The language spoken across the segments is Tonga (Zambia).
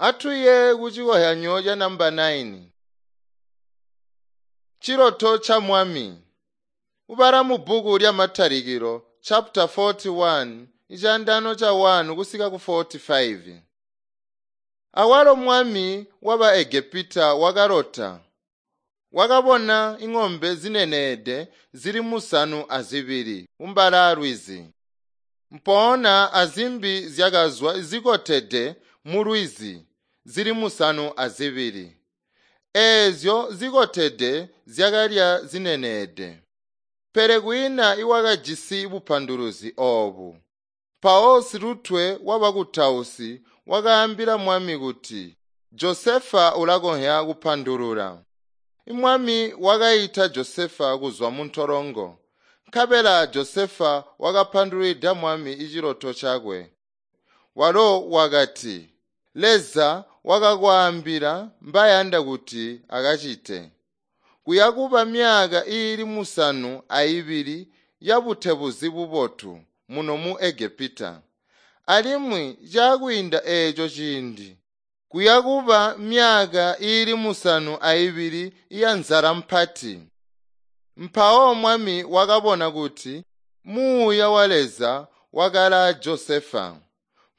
Atuye kucikozyanyo ca namba 9. Ciloto ca Mwami. Ubala mu bbuku lya Matalikilo chapter 41 icandano ca 1 kusika ku 45. Awalo mwami waba Egepita wakalota. Wakabona ing'ombe zineneede zili 72 kumbala lwizi. Mpoona azimbi zyakazwa zikotede mulwizi zili 72. Eezyo zikotede zyakalya zineneede. Pele kwiina iwakajisi bupanduluzi oobu. Mpawo silutwe wabakutausi wakaambila mwami kuti Josefa ulakonzya kupandulula. Mwami wakaita Josefa kuzwa muntolongo. Nkabela Josefa wakapandulwida mwami iciloto cakwe. Walo wakati, Leza wakakwaambila mbayanda kuti akacite. Kuyakuba myaka iili 72 yabutebuzi bubotu muno mu Egepita. Alimwi caakwiinda eeco ciindi, kuyakuba myaka iili 72 yanzala mpati. Mpawo mwami wakabona kuti muuya wa Leza wakali Josefa.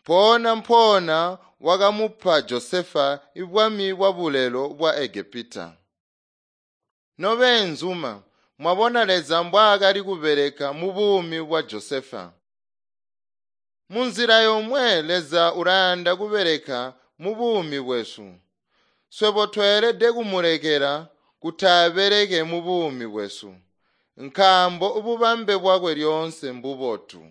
Mpoona mpoona wakamupa Josefa ibwami bwa bulelo bwa Egepita. Nobeenzuma, mwabona Leza mbwaakali kubeleka mubuumi bwa Josefa. Munzila yomwe Leza ulayanda kubeleka mubuumi bwesu. Swebo tweelede kumulekela kuti abeleke mubuumi bwesu, nkaambo bubambe bwakwe lyoonse mbubotu.